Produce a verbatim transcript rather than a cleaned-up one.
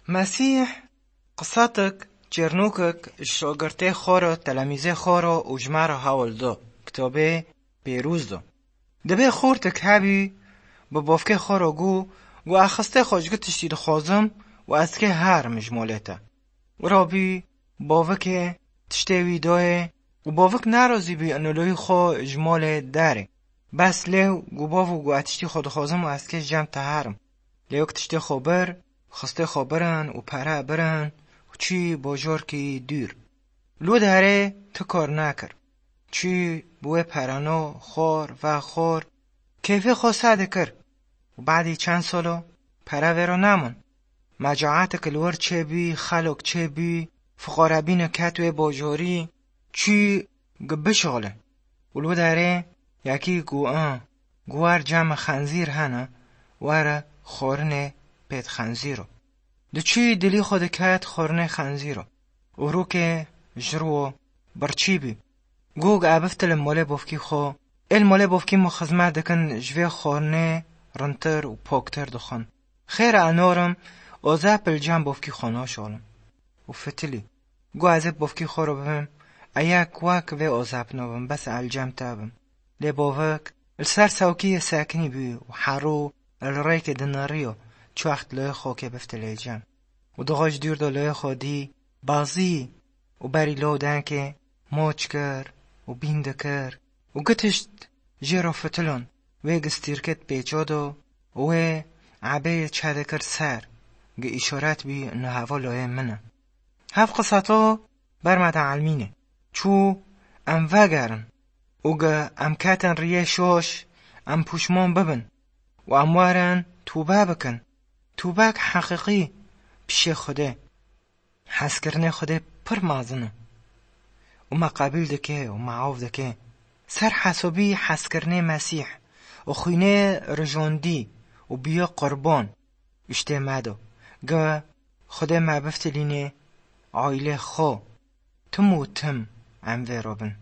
Mesîh qisetik çêrnûkek ji şagirtê xwe re, telemîzê xwe re û ji me re hewl da, kitabê pêrûz da. Dibê xortek hebî, bi bavkê xwe re got, got, "Ez xistê xwe ji gotiştî dixwazim û ez kê herim ji malê te." Wira bî, bavikê tiştê wî dayê û bavik nerazî bî inolohî xwe ji malê derê. Bes lê got, "Bavo, got, ez tiştî xwe dixwazim û ez kê cem te herim." Lê wek tiştê xwe bir, xistê xwe birin û pere birin û çî bajarkî dûr. Li derê ti kar nekir. Çî bi wê pereno xwar ve xwar, keyfê xwe se dikir. Û badî çend salo pere vêro nemon. Mecaetek li wir çêbî, xelok çêbî, fiqarebîne ket wê bajarî, çî gi bişole. Û li derê yekî got, "A, got, wer cem xenzîr hene, were xwarinê pêt xenzîro." Diçî dilî xwe diket xwarinê xenzîro. Û rûkê ji rû birçî bî. Got, "Ez biftilim malê bavkî xwe. Ê li malê bavkî min xizmet dikin, ji vê xwarinê rintir û poktir dixwin. Xêr e, ez narim, ozep li cem bavkî xwe naşalim." Û fitilî. Got, "Ez ê bavkî xwe re bibim, ez yek wek vê ozep nabim, bes ez li cem te bim." Lê bavik li ser sewkiyê sekinî bû û herû li rêkê dineriyo, çi wext li xokê biftilê cem. Û dixwe ji dûr de lê xwe dî, bazî û berî lawdengê moç kir û bîn dikir û gotişt jê re, "Fitilon." Wê gistîrkê pêça da û wê ebeyê çe dikir ser, gi îşaret bî, "Niha hevalê min e." Hev qiseta ber me de elmîne. Çû em vegerin û gi em ketin riyê şoş, em pûşmon bibin û em werin tûbe bikin. Tûbek heqîqî pişê Xwedê. Hezkirinê Xwedê pir mezin e û me qebîl dike û me av dike. Ser hesabî hezkirinê Mesîh û xwînê rijandî û bûye qurban, û ji tê me do. Gi Xwedê me biftilînê aîlê xwe. Tim û tim em vê re bin.